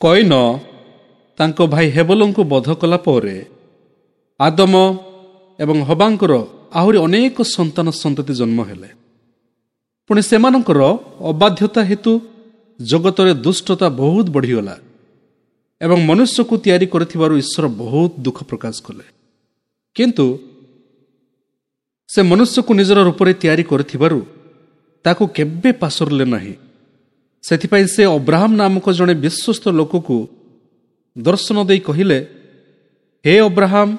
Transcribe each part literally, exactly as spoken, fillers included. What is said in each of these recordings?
କଇନ ତାଙ୍କ ଭାଇ ହେବଲଙ୍କୁ ବଧ କଲା ପରେ ଆଦମ ଏବଂ ହବାଙ୍କର ଆହୁରି ଅନେକ ସନ୍ତାନ ସନ୍ତତି ଜନ୍ମ ହେଲେ। ପୁଣି ସେମାନଙ୍କର ଅବାଧ୍ୟତା ହେତୁ ଜଗତରେ ଦୁଷ୍ଟତା ବହୁତ ବଢ଼ିଗଲା ଏବଂ ମନୁଷ୍ୟକୁ ତିଆରି କରିଥିବାରୁ ଈଶ୍ୱର ବହୁତ ଦୁଃଖ ପ୍ରକାଶ କଲେ। କିନ୍ତୁ ସେ ମନୁଷ୍ୟକୁ ନିଜର ରୂପରେ ତିଆରି କରିଥିବାରୁ ତାକୁ କେବେ ପାସୋରିଲେ ନାହିଁ। ସେଥିପାଇଁ ସେ ଅବ୍ରାହମ ନାମକ ଜଣେ ବିଶ୍ୱସ୍ତ ଲୋକକୁ ଦର୍ଶନ ଦେଇ କହିଲେ, ହେ ଅବ୍ରାହମ,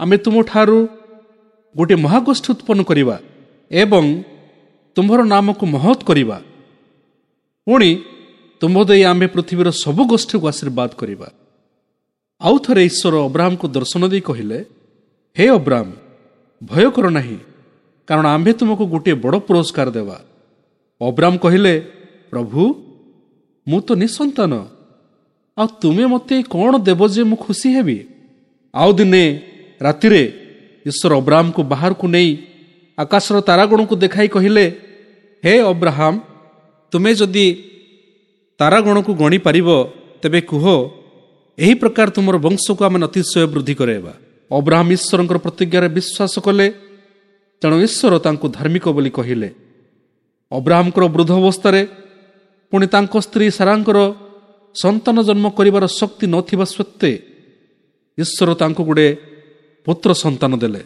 ଆମେ ତୁମଠାରୁ ଗୋଟିଏ ମହାଗୋଷ୍ଠୀ ଉତ୍ପନ୍ନ କରିବା ଏବଂ ତୁମ୍ଭର ନାମକୁ ମହତ୍ କରିବା। ପୁଣି ତୁମ୍ଭ ଦେଇ ଆମ୍ଭେ ପୃଥିବୀର ସବୁ ଗୋଷ୍ଠୀକୁ ଆଶୀର୍ବାଦ କରିବା। ଆଉ ଥରେ ଈଶ୍ୱର ଅବ୍ରାହମକୁ ଦର୍ଶନ ଦେଇ କହିଲେ, ହେ ଅବ୍ରାହମ, ଭୟ କର ନାହିଁ, କାରଣ ଆମ୍ଭେ ତୁମକୁ ଗୋଟିଏ ବଡ଼ ପୁରସ୍କାର ଦେବା। ଅବ୍ରାହମ କହିଲେ, ପ୍ରଭୁ, ମୁଁ ତ ନିଃସନ୍ତାନ, ଆଉ ତୁମେ ମୋତେ କ'ଣ ଦେବ ଯେ ମୁଁ ଖୁସି ହେବି? ଆଉ ଦିନେ ରାତିରେ ଈଶ୍ୱର ଅବ୍ରାହମକୁ ବାହାରକୁ ନେଇ ଆକାଶର ତାରାଗଣକୁ ଦେଖାଇ କହିଲେ, ହେ ଅବ୍ରାହମ, ତୁମେ ଯଦି ତାରାଗଣକୁ ଗଣିପାରିବ ତେବେ କୁହ, ଏହି ପ୍ରକାର ତୁମର ବଂଶକୁ ଆମେ ଅତିଶୟ ବୃଦ୍ଧି କରାଇବା। ଅବ୍ରାହମ ଈଶ୍ୱରଙ୍କର ପ୍ରତିଜ୍ଞାରେ ବିଶ୍ୱାସ କଲେ, ତେଣୁ ଈଶ୍ୱର ତାଙ୍କୁ ଧାର୍ମିକ ବୋଲି କହିଲେ। ଅବ୍ରାହମଙ୍କର ବୃଦ୍ଧ ଅବସ୍ଥାରେ ପୁଣି ତାଙ୍କ ସ୍ତ୍ରୀ ସାରାଙ୍କର ସନ୍ତାନ ଜନ୍ମ କରିବାର ଶକ୍ତି ନଥିବା ସତ୍ତ୍ୱେ ଈଶ୍ୱର ତାଙ୍କୁ ଗୁଡ଼େ ପୁତ୍ର ସନ୍ତାନ ଦେଲେ।